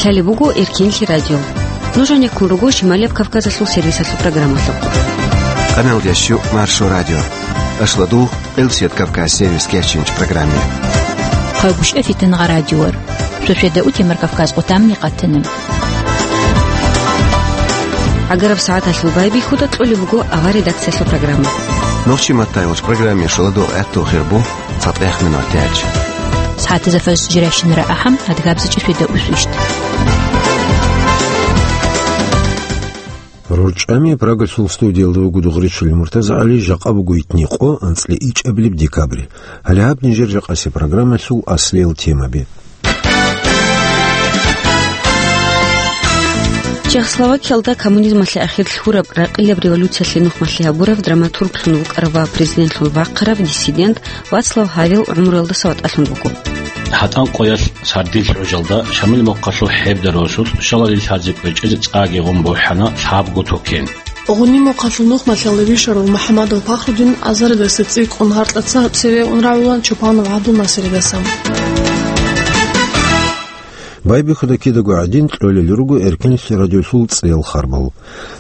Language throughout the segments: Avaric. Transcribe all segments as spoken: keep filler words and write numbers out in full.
Лъалеб буго Эркенлъи радио. Нуж гьанеккун руго Шималияб Кавказалъул сервисалъул программалъухъ. Къаналдящу Маршо радио. Ашладу Элсият Кавказ сервис кечинч программе. Хъагушев Фитнагъа радиор. Сосведа утемар Кавказ къутамни къатана. Агараб сагӀаталъул байбихьуда кьолеб буго авар редакциялъул программа. Нохчи маттайвач программе шуладу гӀатту хирбу. ЦатӀехъ минут тяч. СагӀатазда фарз жиращинара ахӀам, адгабзачӀи светда усвищт. РорчӀами Прагалъул студиялда вуго Дугъричил МуртазагӀали, жакъа буго итни къо, анцӀли ичӀабилеб декабрь. Гьале гьаб нижер жакъаси программалъул аслиял темаби. Чехословакиялда коммунизмалъе ахир лъураб ракъилаб революциялъе нухмалъи гьабурав драматурглъун вукӀарав ва президентлъун вахъарав диссидент Вацлав Гьавел гӀумруялдаса ватӀалъун вуго. ГьатӀан къоялъ сардил гӀужалда Шамил мохъалъул хӀеб дарвасулъ шалалил лъазе кӀвечӀезе цӀаги гъун бухӀана лъабго токен. Гъуни мохъалъул нухмалъалде вищарав МухӀаммадов Пахрудин азаридаса цӀикӀкӀун гьаркьаца цеве ун рагӀула Чопанов ГӀабдулнасиридаса. Байбихьуда кидаго гӀадин кьолел руго Эркенлъи радиолъул цӀел харбал.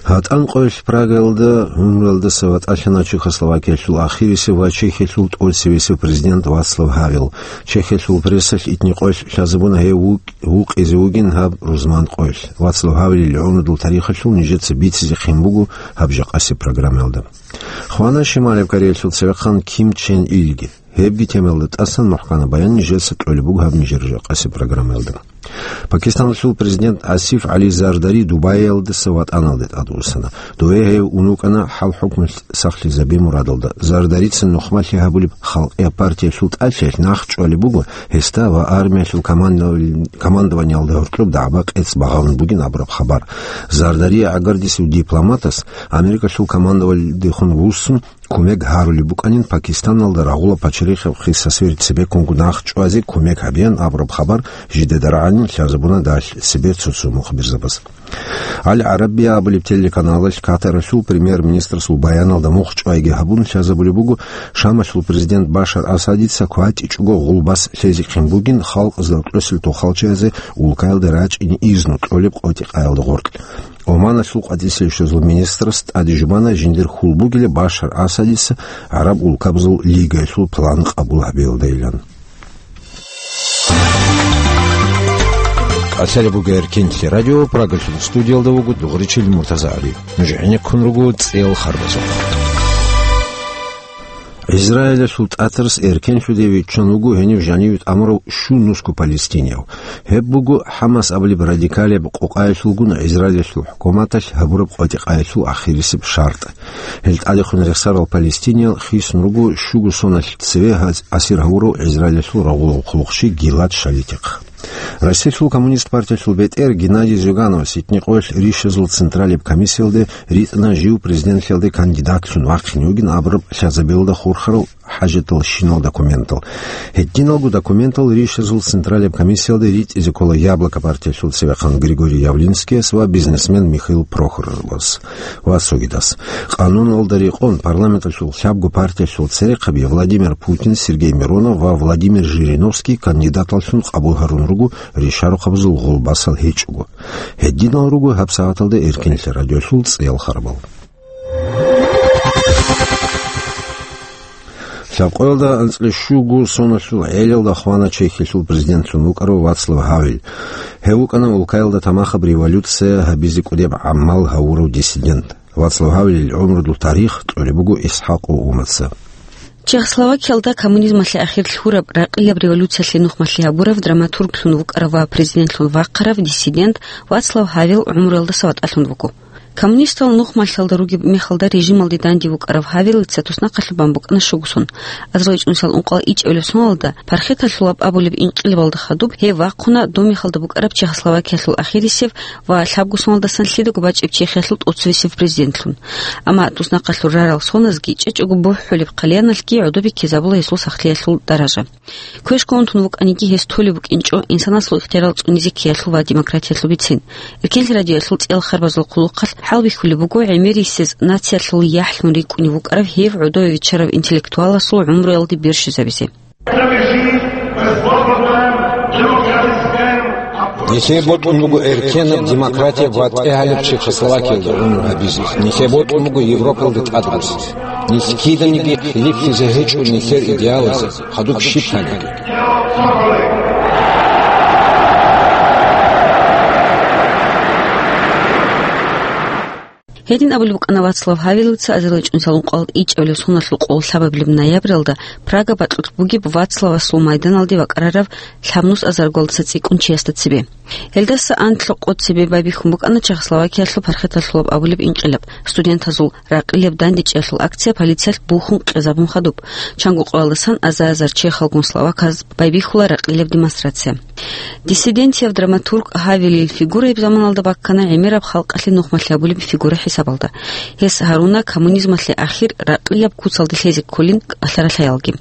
ГьатӀан къоялъ Прагаялда гӀумруялдаса ватӀалъана Чехословакиялъул ахирисев ва Чехиялъул тӀоцевесев президент Вацлав Гьавел. Чехиялъул прессалъ итни къоялъ лъазабуна гьев вукӀ-, вукъизе вугин гьаб рузман къоялъ. Вацлав Гьавелил гӀумрудул тарихалъул нижеца бицизехъин буго гьаб жакъаси программаялда. Хвана Шималаб Кореялъул цевехъан Ким Чен Илги. Гьебги темаялда тӀасан мухӀкана баян нижеца кьолеб буго гьаб нижер жакъаси программаялда. Пакистаналъул президент Асиф ГӀали Зардари Дубаиялдаса ватӀаналде тӀадвуссана. Дубае гьев ун вукӀана хӀал-хӀукму сахлъизаби мурадалда. Зардарица нухмалъи гьабулеб Халкъияб партиялъул тӀалъиялъ нахъ чӀвалеб буго гьесда ва армиялъул командовал-, командованиялда гьоркьоб дагӀба-къец багъарун бугин абураб хабар. Зардарие гӀагардисев дипломатас Америкалъул командованиялдехун вуссун, кумек гьарулеб букӀанин Пакистаналда рагъула пачарихъ Хисасвери цебеккунго нахъ чӀвазе кумек гьабеян абураб хабар жидеда рагӀанин лъазабуна далъ цебе цо-цо мухбирзабаз. Ал-ГӀарабия абулеб телеканалалъ Катаралъул премьер-министрасул баяналда мухъ чӀвайги гьабун лъазабулеб буго, Шамалъул президент Башар Асадица кватӀичӀого гъулбас лъезехъин бугин халкъ заркьосел тохалчиязе улкаялда рачӀине изну кьолеб къотӀи-къаялда гъоркь. Оманалъул къватӀиса-рищазул министрас тӀаде жубана жиндир хьул бугила Башар Асадица ГӀараб улкабазул лигаялъул план къабул гьабиялдайилан. Лъалеб буго Эркенлъи радио, Прагалъул студиялда вуго Дугъричил МуртазагӀали. Нуж гӀенеккун руго цӀел харбазухъ. Израилалъул тӀатарас эркенлъуде виччан вуго гьенив жаниве тӀамурав щун нусго палестинияв. Гьеб буго ХӀамас абулеб радикалияб къокъаялъулгун Израилалъул хӀукуматалъ гьабураб къватӀи-къаялъул ахирисеб шартӀ. Гьел тӀадехун рехсарал палестиниял хисун руго щуго соналъ цеве гьаз-, асир гьавурав Израилалъул рагъулав хъулухъчи Гилад Шалитихъ. Россиялъул коммунист партиялъул бетӀер Геннадий Зюгановас итни къоялъ ришазул централияб комиссиялде ритӀана жив президентлъиялде кандидатлъун вахъине вугин абураб лъазабиялда хурхарал хӀажатал щинал документал. Гьединалго документал ришазул централияб комиссиялде ритӀизе ккола Яблоко партиялъул цевехъан Григорий Явлинскияс ва бизнесмен Михаил Прохоровас ва цогидас. Къануналда рекъон парламенталъул лъабго партиялъул церехъаби Владимир Путин, Сергей Миронов ва Владимир Жириновский кандидаталлъун къабул гьарун руго ришарухъабазул гъулбасал гьечӀого. Гьединал руго гьаб сагӀаталда Эркенлъи радиолъул цӀел харбал. Лъабкъоялда анцӀила щуго соналъул гӀелалда хвана Чехиялъул президентлъун вукӀарав Вацлав Гьавел. Гьев вукӀана улкаялда тамахаб революция гьабизе кӀудеб гӀамал гьавурав диссидент. Вацлав Гьавелил гӀумрудул тарих кьолеб буго ИсхӀакъов Умаца. Чехословакиялда коммунизмалъе ахир лъураб ракъилаб революциялъе нухмалъи гьабурав драматурглъун вукӀарав ва президентлъун вахъарав диссидент Вацлав Гьавел гӀумруялдаса ватӀалъун вуго. Коммунистал нухмалъалда ругеб мехалда режималде данде вукӀарав Гьавелица туснахъалъубан букӀана щугусон. АзарилчӀунусал ункъоялда ичӀабилеб соналда, пархеталъулаб абулеб инкъилабалда хадуб гьев вахъуна доб мехалда букӀараб Чехословакиялъул ахирисев ва лъабго соналдасан лъидаго бачӀеб Чехиялъул тӀоцевесев президентлъун. Амма туснахъалъур рарал соназги, чӀечӀого бухӀулеб хъалияналъги гӀодобе ккезабула гьесул сахлъиялъул даража. Квешго унтун вукӀаниги, гьес толеб букӀинчӀо инсанасул ихтиярал цӀунизе ккеялъул ва демократиялъул бицин. Эркенлъи радиоялъул цӀел харбазул хъулухъалъ хӀалбихьулеб буго гӀемерисез нациялъул яхӀлъун рикӀкӀунев вукӀарав гьев гӀодове виччарав интеллектуаласул гӀумруялде бержизабизе. Нилъее бокьун буго эркенаб, демократияб ва тӀегьалеб Чехословакиялда гӀумру гьабизе. Нилъее бокьун буго Европалда тӀадрузе. Нилъ киданиги хилиплъизе гьечӀо нилъер идеалазе, хадуб щиб гьаниги. Гьедин абулеб букӀана Вацлав Гьавелица азарилчӀунсал ункъоялда ичӀабилеб соналъул къоло лъабабилеб ноябралда Прага бакьулъ бугеб Вацлавасул майданалде бакӀарарав лъабнус азарго цӀикӀкӀун чиясда цебе. Гьелдаса анлъго къо цебе байбихьун букӀана Чехословакиялъул пархаталъулаб абулеб инкъилаб, студентазул ракъилаб дандечӀиялъул акция полициялъ бухьун къезабун хадуб. Чанго къоялдасан азар-азар чехалгун словаказ байбихьула ракъилаб демонстрация. Диссидентияв драматург Гьавелил фигураяб заманалда баккана гӀемераб халкъалъе нухмалъи гьабулеб фигура хӀисабалда. Гьес гьаруна коммунизмалъе ахир ракъилаб куцалде лъезе кколин кӀалъаралъаялги.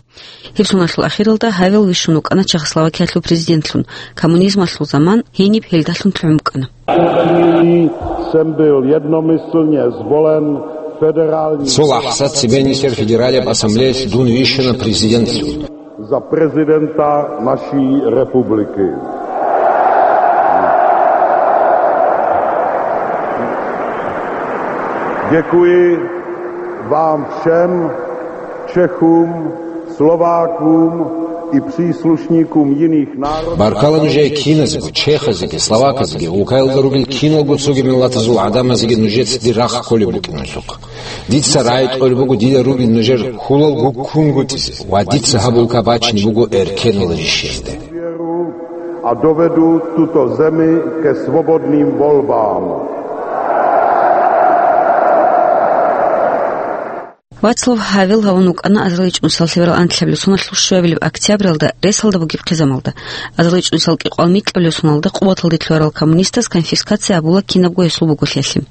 Гьеб соналъул ахиралда Гьавел вищун вукӀана Чехословакиялъул президентлъун, коммунизмалъул заман гьениб гьелдалъун лъугӀун букӀана. Jsem byl jednomyslně zvolen federálním Цо лахӀза цебе нилъер Федералияб Ассамблеялъ дун вищана президентлъун. Za prezidenta naší republiky. Děkuji vám všem, Čechům, Slovákům i příslušníkům jiných národů. Баркала нужее киназего, чехазеги, словаказеги, улкаялда ругел киналго цоги миллатазул гӀадамазеги нужеца дир рахъ кколеб букӀиналъухъ. Дица рагӀи тӀолеб буго дида ругел нужер хьулал гуккунгутӀизе ва дица гьаб улка бачине буго эркенал ришиялде. A dovedu tuto zemi ke svobodným volbám. Вацлав Гьавел гьавун вукӀана азарилчӀунсал лъеберал анлъабилеб соналъул щуабилеб октябралда ресалда бугеб хъизамалда. АзарилчӀунсал кӀикъоялда микьабилеб соналда къуваталде лъугьарал коммунистаз конфискация гьабула кинабго гьесул буголъиялъе.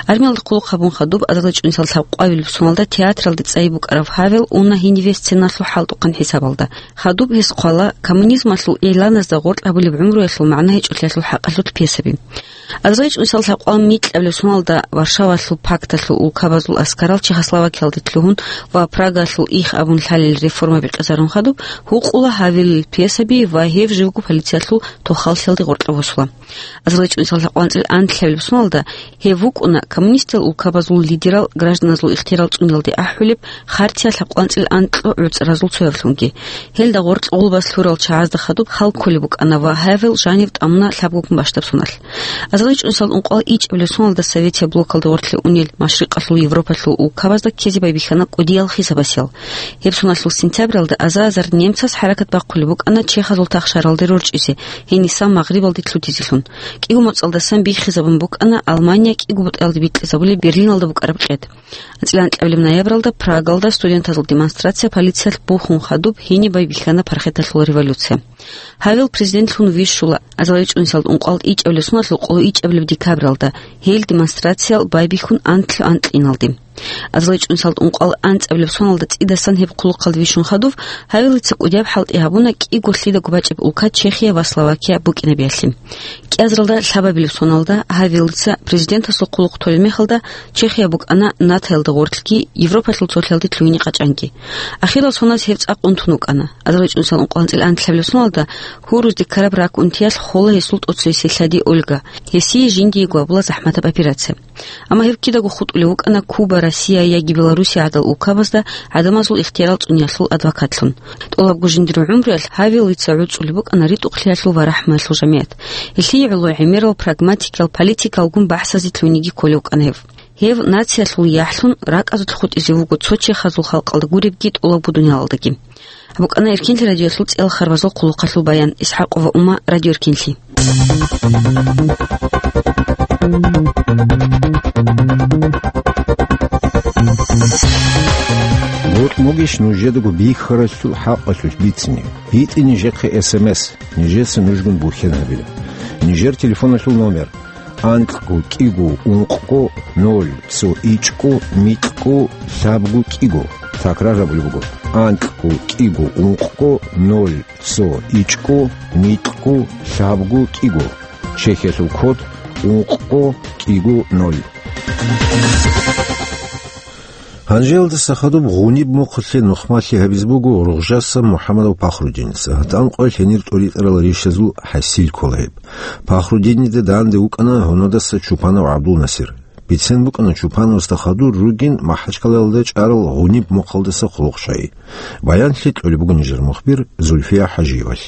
Армиялда хъулухъ гьабун хадуб азарилчӀунсал лъабкъоялда соналда театралде цӀайи букӀарав Гьавел уна гьениве сценалъул хӀалтӀухъан хӀисабалда. Хадуб гьес хъвала коммунизмалъул игӀланазда гъоркь гьабулеб гӀумруялъул магӀна гьечӀолъиялъул хӀакъалъулъ пьесаби. АзарилчӀунсал лъабкъоялда микьабилеб соналда Варшавалъул пакталъул улкабазул аскарал Чехословакиялде лъугьун ва Прагалъул их абун лъалел реформаби къезарун хадуб, гьукъула Гьавелил пьесаби ва гьев живго полициялъул тохаллъиялде гъоркье босула. АзарилчӀунсал лъабкъоялда анлъабилеб соналда гьев вукӀуна коммунистиял улкабазул лидерал гражданазул ихтиярал цӀуниялде ахӀулеб хартия лъабкъоялда анкьго гӀуцӀразул цояблъунги. Гьелда гъоркь гъулбас лъурал чагӀазда хадуб хал кколеб букӀана ва Гьавел жанив тӀамуна лъабгогун бащдаб соналъ. АзарилчӀунсал ункъоялда ичӀабилеб соналда Советияб блокалда гъоркье унел Машрикъалъул Европалъул улкабазда ккезе байбихьана кӀудиял хисабасел. Гьеб соналъул сентябралда аза-азар немцаз хӀаракат бахъулеб букӀана чехазул тахшаралде рорчӀизе, гьениса Магърибалде лъутизелъун. КӀиго моцӀалдасан биххизабун букӀана Алмания кӀиго бутӀаялде бикьизабулеб Берлиналда букӀараб къед. АнцӀила анкьабилеб ноябралда Прагалда студентазул демонстрация полициялъ бухьун хадуб гьениб байбихьана пархаталъул революция. Гьавел президентлъун вищула азарилчӀунсал ункъоялда ичӀабилеб соналъул къоло ичӀабилеб декабралда, гьел демонстрациял байбихьун анлъго анкьиналде. АзарилчӀунсал ункъоялда анцӀабилеб соналда цӀидасан гьеб хъулухъалде вищун хадуб, Гьавелица кӀудияб хӀалтӀи гьабуна кӀиго лъидаго бачӀеб улка Чехия ва Словакия букӀинабиялъе. КӀиазаралда лъабабилеб соналда Гьавелица президентасул хъулухъ толеб мехалда Чехия букӀана НАТОялда гъорлъги, Европалъул цолъиялде лъугьине къачӀанги. Ахирал соназ гьев цӀакъ унтун вукӀана. АзарилчӀунсал ункъоялда анлъабилеб соналда гьуруз декараб рак унтиялъ хола гьесул тӀоцевесел лъади Ольга. Гьесие жиндиего гьабула захӀматаб операция. Амма гьев кидаго хутӀулев вукӀана Куба, Россия яги Белоруссия гӀадал улкабазда гӀадамазул ихтиярал цӀуниялъул адвокатлъун. ТӀолабго жиндирго гӀумруялъ Гьавелица гӀуцӀулеб букӀана ритӀухълъиялъул ва рахӀмуялъул жамигӀат. Гьелъие гӀоло гӀемерал, прагматикиял, политикалгун бахӀсазе лъугьинеги кколев вукӀана гьев. Гьев нациялъул яхӀлъун ракӀазулъ хутӀизе вуго цо чехазул халкъалда гуребги тӀолабго дуниялалдаги. Гьаб букӀана Эркинлъи радиоялъул цӀелхарбазул хъулухъалъул баян. ИсхӀакъова Ума, Радио Эркинлъи. Гьоркь могищ нужедаго бихьаралъул хӀакъалъулъ бицине? БитӀе нижехъе эс эм эс, нижеца нужгун бухьен гьабила. Нижер телефоналъул номер: анкьго кӀиго ункъго ноль цо ичӀго микьго лъабго кӀиго. Такрар гьабулеб буго: анкьго кӀиго ункъго ноль цо ичӀго микьго лъабго кӀиго. Чехиялъул код: ункъго кӀиго ноль. Гьанжеялдаса хадуб гъуниб мухъалъе нухмалъи гьабизе буго Ругъжаса МухӀамадов Пахрудиница, гьатӀан къоялъ гьенир тӀоритӀарал ришазул хӀасил ккола гьеб. Пахрудинида данде вукӀана гьунадаса Чупанов ГӀабдулнасир. Бицен букӀана Чупановасда хадур ругин МахӀачкъалаялда чӀарал гъуниб мухъалдаса хъулухъ щай. Баянлъи кьолеб буго нижер мухбир Зульфия ХӀажиевалъ.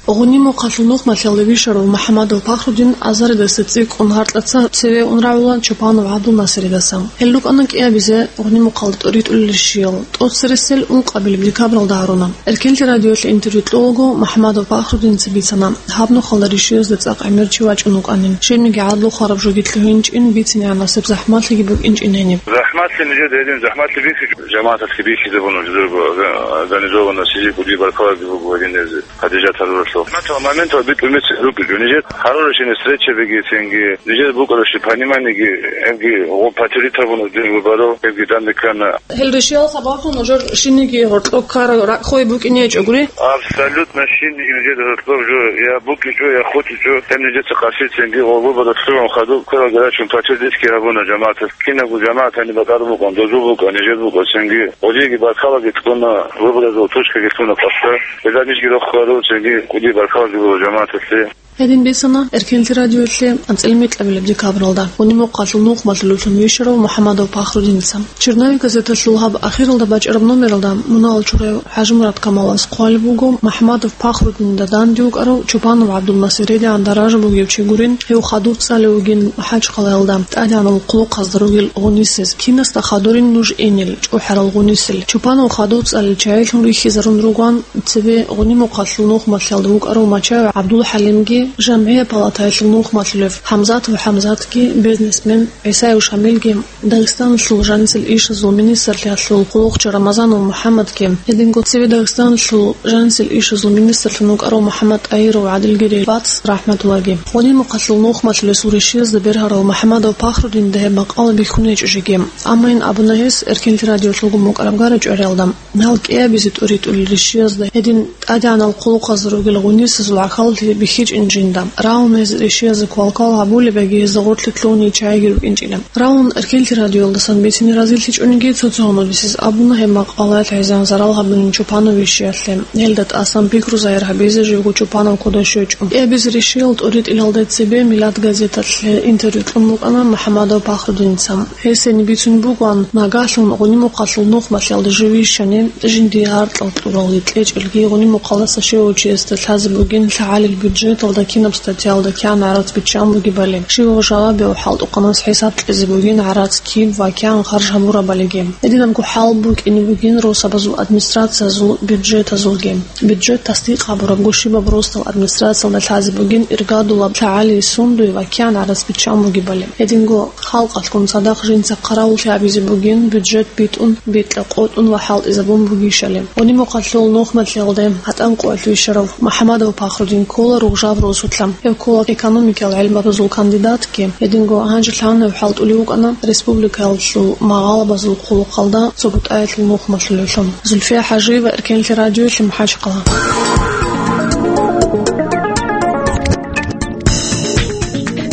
Гъуниб мухъалъул нухмалъиялда вищарав МухӀамадов Пахрудин азаридаса цӀикӀкӀун гьаркьаца цеве ун рагӀула Чупанов ГӀабдулнасиридаса. Гьел рукӀана кӀиабизе гъуниб мухъалда тӀоритӀулел ришиял. ТӀоцересел ункъабилеб декабралда гьаруна. Эркенлъи радиоялъе интервью кьолаго МухӀамадов Пахрудиница бицана, гьаб нухалда ришиязда цӀакъ гӀемер чи вачӀун вукӀанин. Щибниги гӀадлу хвараб жоги лъугьинчӀин, бицинегӀан насиб захӀмалъиги букӀинчӀин гьениб. ЗахӀмалъи нижеда гьедин, захӀмалъи бихьичӀо. ЖамагӀаталъги бихьизабуна жидерго организованно, сизи кӀудияб баркалаги буго гьединезе. Хадижат гьаруралъул. Моментал, моментал битӀун бицин рукӀичӀо. Нижер гьаруращине встречабиги цинги, нижер букӀаращи пониманиеги, гьебги гъо патиритабуна дин выборов, гьебги данде ккана. Гьел ришиял сабаблъун нужер щинниги гьоркьоб ккараб ракӀ хвей букӀине гьечӀогури? Абсолютно щинниги нижер гьоркьоб жо я букӀичӀо, я хутӀичӀо, гьеб нижеца къасицинги гъо выборалъ лъугьун хадуб кверал гьарачун патир дисги гьабуна жамагӀаталъ. Кинабго жамагӀатани бакӀараб букӀун, дозул букӀун, нижер букӀун цинги. Гъодиеги баркалаги кьуна, выборазул тушкаги лъуна къасда. Гьелда нижги рохару цинги кӀудияб баркалаги буго жамагӀаталъе. Гьедин бицана Эркенлъи радиоялъе анцӀила микьабилеб декабралда гъуниб мухъалъул нухмалъулевлъун вищарав МухӀамадов Пахрудиница. «Черновик» газеталъул гьаб ахиралда бачӀараб номералда мунагьал чураяв ХӀажимурад Камалас хъвалеб буго МухӀамадов Пахрудинида данде вукӀарав Чупанов ГӀабдулнасиридегӀан даража бугев чи гурин, гьев хадуб цӀалев вугин МахӀачкъалаялда тӀадегӀанал хъулухъазда ругел гъунисез. Кинасда хадурин нуж гьенил чӀухӀарал гъунисел. Чупанов хадуб цӀалел чагӀилъун рихьизарун ругоан цебе гъуниб мухъалъул нухмалъиялда вукӀарав Мачаев ГӀабдулхӀалимги, жамгӀияб палатаялъул нухмалъулев ХӀамзатов ХӀамзатги, бизнесмен ГӀисаев Шамилги, Дагъистаналъул жанисел ишазул министрлъиялъул хъулухъчи Рамазанов МухӀаммадги, гьединго цеве Дагъистаналъул жанисел ишазул министрлъун вукӀарав МухӀаммад ТӀагьиров ГӀадилгири Бац рахӀматуллаги. Гъуниб мухъалъул нухмалъулесул ришиязда бергьарав МухӀамадов Пахрудинида гьеб макъала бихьун гьечӀо жеги. Амма ин абуна гьес Эркенлъи радиолъулго мукӀараб гара чӀвариялда. Гьал кӀиабизе тӀоритӀулел ришиязда гьедин тӀадегӀанал хъулухъазда ругел гъунисезул гӀахьаллъи бихьичӀин жинда. Рагьун гьез ришиязда квалквал гьабулеб яги гьезда гъорлъе лъугьуней чагӀиги рукӀинчӀила. Рагьун Эркенлъи радиоялдасан бицине разилъичӀониги цо-цо гьаниб гьес абуна гьеб макъалаялъ гьезие зарал гьабунин Чупанов вищиялъе. Гьелда тӀасан пикру загьир гьабизе живго Чупанов кодо щвечӀо. КӀиабизе ришиял тӀоритӀилалде цебе Милад газеталъе интервью кьун букӀана МухӀамадов Пахрудиница. Гьес гьениб бицун бугоан, нагагьлъун гъуниб мухъалъул нухмалъиялда жив вищани, жиндие гьаркьал кьуралги кьечӀелги гъуниб мухъалдаса щивав чиясда лъазе бугин лъагӀалил бюджеталда кинаб статьялда кигӀан гӀарац биччан бугебали, щивав жавабияв хӀалтӀухъанас хӀисаб кьезе бугин гӀарац киб ва кигӀан харж гьабурабалиги. Гьединабго хӀал букӀине бугин росабазул администрациязул бюджетазулги. Бюджет тасдикъ гьабурабго щибаб росдал администрациялда лъазе бугин иргадулаб лъагӀалил сундуй ва кигӀан гӀарац биччан бугебали. Гьединго халкъалъгун цадахъ жинца хъаравуллъи гьабизе бугин бюджет битӀун, бикьа-къотӀун ва хӀалтӀизабун бугищали. Гъуниб мухъалъул нухмалъиялде гьатӀан къоялъ вищарав МухӀамадов Пахрудин ккола Ругъжаб росулъа. Гьев ккола экономикиял гӀелмабазул кандидатги, гьединго гьанже лъана гьев хӀалтӀулев вукӀана республикаялъул магъалабазул хъулухъалда ЦогутӀаялъул нухмалъулевлъун. Зульфия ХӀажиева, Эркенлъи радиоялъе, МахӀачкъала.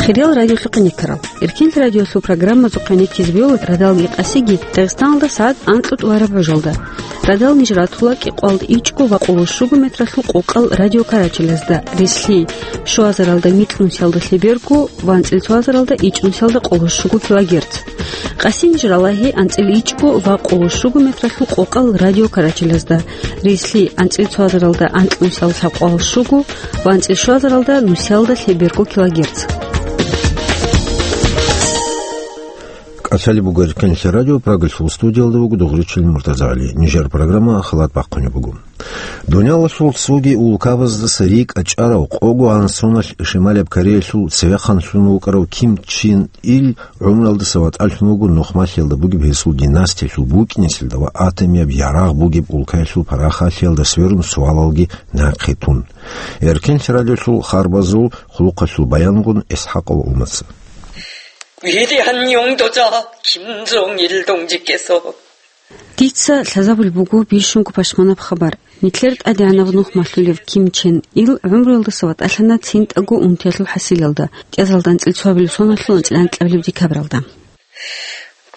Хириял радиолъухъе никарал. Эркенлъи радиолъул программазухъе никизе бегьула радалги къасиги Дагъистаналда сагӀат анкьго тӀураб гӀужалда. Радал ниж ратула кӀикъоялда ичӀго ва къоло щуго метралъул къокъал радиокарачалазда, рислъи, щуазаралда микьнусиялда лъеберго ва анцӀила цоазаралда ичӀнусиялда къоло щуго килогерц. Къасин жралагьи анцӀила ичӀго ва къоло щуго метралъул къокъал радиокарачалазда, рислъи анцӀила цоазаралда анкьнусиялда лъабкъоялда щуго ва анцӀила щуазаралда нусиялда лъеберго килогерц. КӀалъалеб буго Эркенлъи радио, Прагалъул студиялда вуго Дугъричилин МуртазагӀали. Нижер программа халат бахъунеб буго. Дуниялалъул цоги улкабаздаса рикӀа чӀарав, къого гьансуналъ Шималияб Кореялъул цевехъанлъун вукӀарав Ким Чен Ил гӀумруялдаса ватӀалъун вуго нухмалъиялда бугеб гьесул династиялъул букӀинесилда ва атомияб ярагъ бугеб улкаялъул парахалъиялда сверун суалалги нахъе тун. Эркенлъи радиолъул харбазул хъулухъалъул баянгун ИсхӀакъов Умаца. Дица лъазабулеб буго бищунго пашманаб хабар. Нилъер тӀадегӀанав нухмалъулев Ким Чен Ил гӀумруялдаса ватӀалъана цинтӀаго унтиялъул хӀасилалда, тӀазалда анцӀила цоабилеб соналъул анцӀила анкьабилеб декабралда.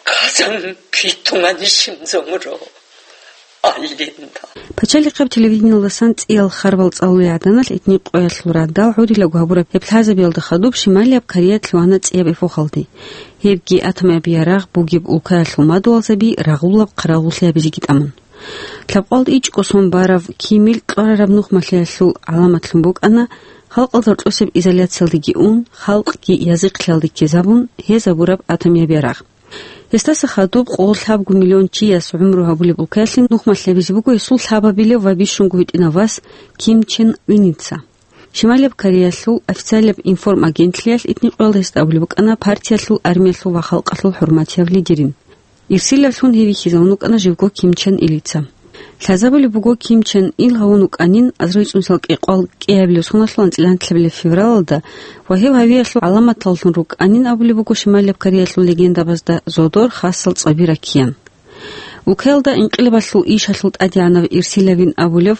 Казан питумани шимзомуро аллинда. Пачалихъаб телевидениялдасан цӀиял харбал цӀалулел гӀаданалъ итни къоялъул радал гӀодилаго гьабураб гьеб лъазабиялда хадуб Шималияб Кореялъ вана цӀияб эпохалде. Гьебги атомияб ярагъ бугеб улкаялъул мадугьалзаби рагъулаб хъаравуллъи гьабизеги тӀамун. Лъабкъоялда ичӀго сон барав Кимил кьварараб нухмалъиялъул гӀаламатлъун букӀана, халкъалда рокьосеб изоляциялдеги ун, халкъги язихълъиялде ккезабун, гьез гьабураб атомияб ярагъ. Гьесдаса хадуб къо лъабго миллион чияс гӀумру гьабулеб улкаялъе нухмалъ гьабизе буго гьесул лъабабилев ва бищунго гьитӀинав вас Ким Чен Ыница. Шималияб Кореялъул официалияб информагентлъиялъ итни къоялда гьесда абулеб букӀана партиялъул, армиялъул ва халкъалъул хӀурматияб лидерин. Ирсилавлъун гьев вихьизавун вукӀана живго Ким Чен Илица. Лъазабулеб буго Ким Чен Ил гьавун вукӀанин азарилцӀунсал кӀикъоялда кӀиабилеб соналъул анцӀила анлъабилеб февралалда ва гьев гьавиялъул гӀаламаталлъун рукӀанин абулеб буго Шималияб Кореялъул легендабазда зодор хасал цӀаби раккеян. Улкаялда инкъилабалъул ишалъул тӀадегӀанав Ирсилавин абулев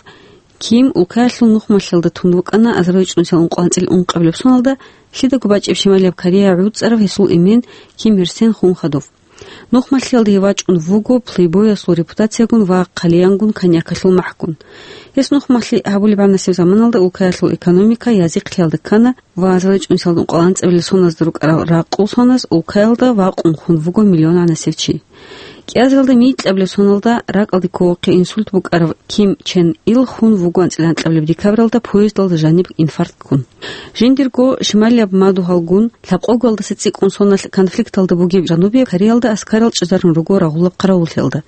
Ким улкаялъул нухмалъиялда тун вукӀана азарилцӀунсал ункъоялда анцӀила ункъабилеб соналда, лъидаго бачӀеб Шималияб Корея гӀуцӀарав гьесул эмен Ким Ир Сен хун хадуб. Нухмалъиялда гьев вачӀун вуго плейбойясул репутациягун ва хъалиянгун коньякалъул махӀгун. Гьес нухмалъи гьабулеб гӀанасеб заманалда улкаялъул экономика язихълъиялда ккана ва азарилцӀунсалда ункъоялда анцӀабилеб соназда рукӀарал ракъул соназ улкаялда вакъун хун вуго миллион гӀанасев чи. КӀиазаралда микьабилеб соналда ракӀалде ккоялъухъе инсульт букӀарав Ким Чен Ил хун вуго анцӀила анкьабилеб декабралда поездалда жаниб инфаркт ккун. Жиндирго Шималияб мадугьалгун лъабкъоялдаса цӀикӀкӀун соналъ конфликталда бугеб Жанубияб Кореялда аскарал чӀезарун руго рагъулаб хъаравуллъиялда.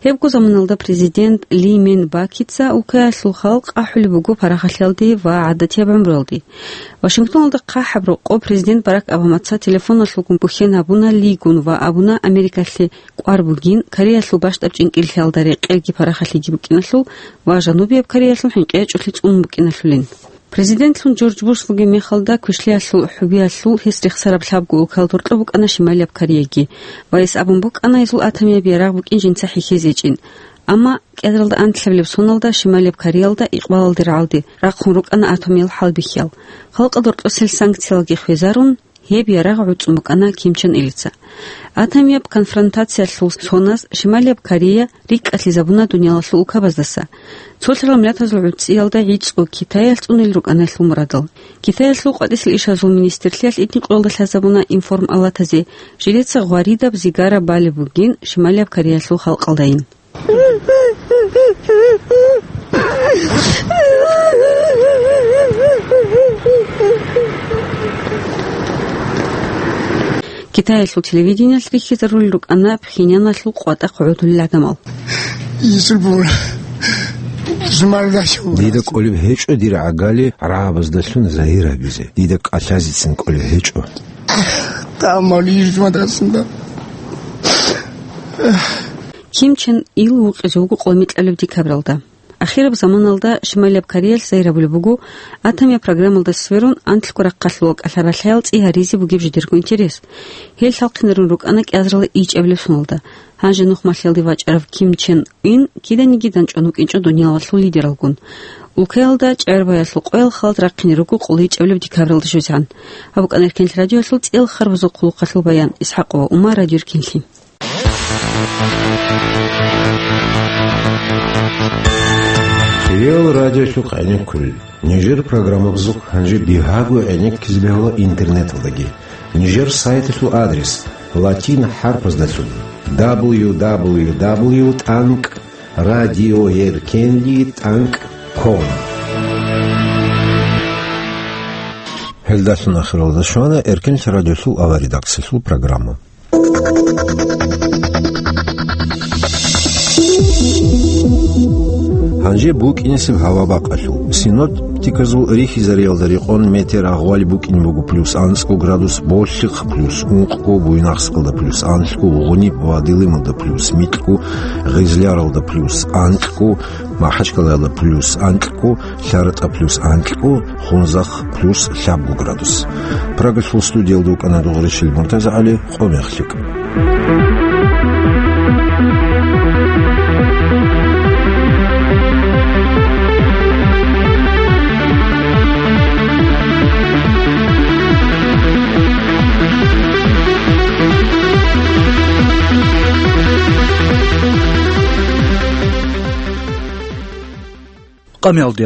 Гьебго заманалда президент Ли Мен Бакица улкаялъул халкъ ахӀулеб буго парахалъиялде ва гӀадатияб гӀумруялде. Вашингтоналда хъахӀаб рокъоб президент Барак Обамаца телефоналъулгун бухьен гьабуна Лигун ва абуна Америкалъе кӀвар бугин, Кореялъул бащдаб чӀинкӀиллъиялда рекъелги парахалъиги букӀиналъул ва Жанубияб Кореялъул хӀинкъи гьечӀолъи цӀунун букӀиналъулин. Президентлъун Джордж Буш вугеб мехалда квешлъиялъул хӀубиялъул гьес рехсараб лъабго улкаялда гьоркьоб букӀана Шималияб Кореяги ва гьес абун букӀана гьезул атомияб ярагъ букӀин жинца хӀехьезе гьечӀин. Амма кӀиазаралда анлъабилеб соналда Шималияб Кореялда икъбалалде рагӀалде рахъун рукӀана атомиял хӀалбихьиял. Халкъалда гьоркьосел санкциялги хвезарун, гьеб ярагъ гӀуцӀун букӀана Ким Чен Илица. Атомияб конфронтациялъул соназ Шималияб Корея рикӀкӀалъизабуна дуниялалъул улкабаздаса. Цолъарал миллатазул гӀуцӀиялда гӀицӀго Китаялъ цӀунел рукӀана гьелъул мурадал. Китаялъул къватӀисел ишазул министрлъиялъ итни къоялда лъазабуна информалатазе, жидеца гъваридаб зигара балеб бугин Шималияб Кореялъул халкъалдайин. Китаялъул телевидениялъ рихьизарулел рукӀана Пхеньяналъул къватӀахъ гӀодулел гӀадамал. Дида кӀолеб гьечӀо дир гӀагали гӀарабаздалъун загьир гьабизе. Дида кӀалъазецин кӀолеб гьечӀо. Ким Чен Ил вукъизе вуго къоло микьабилеб декабралда. Ахираб заманалда Шималияб Кореялъ загьир гьабулеб буго, атомияб программалда сверун, анлъго рахъалъулал кӀалъа-балъаял цӀи гьаризе бугеб жидерго интерес. Гьел лъалхъинарун рукӀана кӀиазаралда ичӀабилеб соналда. Гьанже нухмалъиялде вачӀарав Ким Чен Ин киданиги данчӀван вукӀинчӀо дуниялалъул лидералгун. Улкаялда чӀегӀербаялъул къоял халат рахъине руго къоло ичӀабилеб декабралда щвезегӀан. Гьаб букӀана Эркенлъи радиоялъул цӀел харбазул хъулухъалъул баян. ИсхӀакъова Умар, Радио Эркенлъи. Кирилл радиолъухъ гӀенеккулел. Нижер программабазухъ гьанже бигьаго гӀенеккизе бегьула интернеталдаги. Нижер сайталъул адрес латин хӀарпаздалъун: дабл ю дабл ю дабл ю тӀанкӀ радиоэркенлъи тӀанкӀ ком. Гьелдалъун ахиралда щвана Эркенлъи радиолъул аваридакцилъул программа. Гьанже букӀинесеб гьава бакъалъул. Синоптиказул рихьизариялда рекъон метеорагъвали букӀин буго плюс анцӀго градус Болъихъ, плюс ункъго Буйнакскалда, плюс анлъго Гъуниб ва Дилималда, плюс микьго Гъизляралда, плюс анлъго Махачкалаялда, плюс анлъго ЛъаратӀа, плюс анлъго Хунзахъ, плюс лъабго градус. Прагалъул студиялда вукӀана Дугъришил МуртазагӀали. Къо мехлъи. къамиялде